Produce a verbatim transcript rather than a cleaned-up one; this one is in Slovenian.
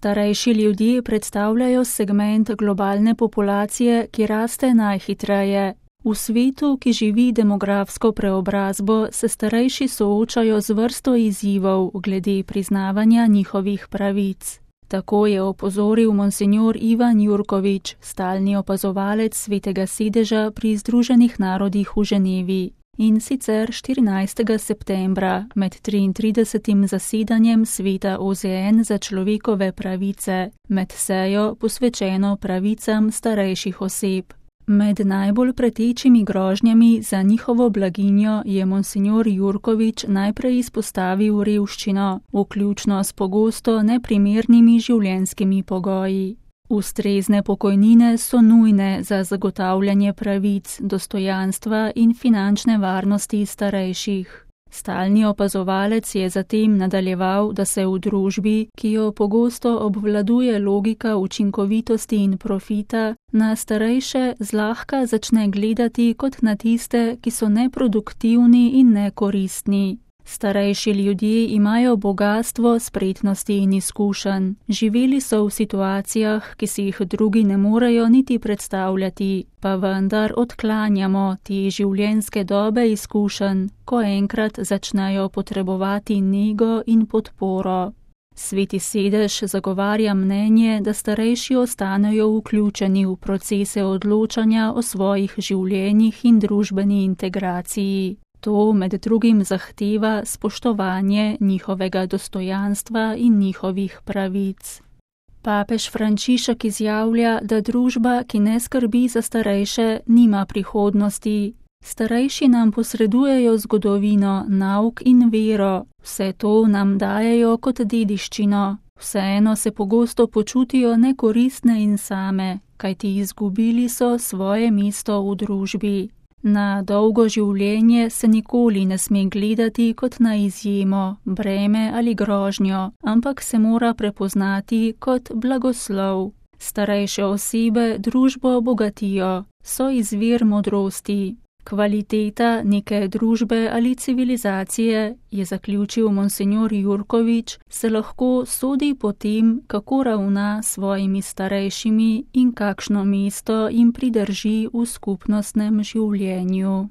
Starejši ljudje predstavljajo segment globalne populacije, ki raste najhitreje. V svetu, ki živi demografsko preobrazbo, se starejši soočajo z vrsto izzivov glede priznavanja njihovih pravic. Tako je opozoril monsinjor Ivan Jurkovič, stalni opazovalec Svetega sedeža pri Združenih narodih v Ženevi. In sicer štirinajstega septembra med triintridesetim zasedanjem Sveta O Z N za človekove pravice, med sejo posvečeno pravicam starejših oseb. Med najbolj pretečimi grožnjami za njihovo blaginjo je monsinjor Jurkovič najprej izpostavil revščino, vključno s pogosto neprimernimi življenjskimi pogoji. Ustrezne pokojnine so nujne za zagotavljanje pravic, dostojanstva in finančne varnosti starejših. Stalni opazovalec je zatem nadaljeval, da se v družbi, ki jo pogosto obvladuje logika učinkovitosti in profita, na starejše zlahka začne gledati kot na tiste, ki so neproduktivni in nekoristni. Starejši ljudje imajo bogastvo spretnosti in izkušenj. Živeli so v situacijah, ki si jih drugi ne morejo niti predstavljati, pa vendar odklanjamo te življenjske dobe izkušenj, ko enkrat začnejo potrebovati nego in podporo. Sveti sedež zagovarja mnenje, da starejši ostanejo vključeni v procese odločanja o svojih življenjih in družbeni integraciji. To med drugim zahteva spoštovanje njihovega dostojanstva in njihovih pravic. Papež Frančišek izjavlja, da družba, ki ne skrbi za starejše, nima prihodnosti. Starejši nam posredujejo zgodovino, nauk in vero, vse to nam dajejo kot dediščino. Vseeno se pogosto počutijo nekoristne in same, kajti izgubili so svoje mesto v družbi. Na dolgo življenje se nikoli ne sme gledati kot na izjemo, breme ali grožnjo, ampak se mora prepoznati kot blagoslov. Starejše osebe družbo bogatijo, so izvir modrosti. Kvaliteta neke družbe ali civilizacije, je zaključil monsinjor Jurkovič, se lahko sodi po tem, kako ravna s svojimi starejšimi in kakšno mesto jim pridrži v skupnostnem življenju.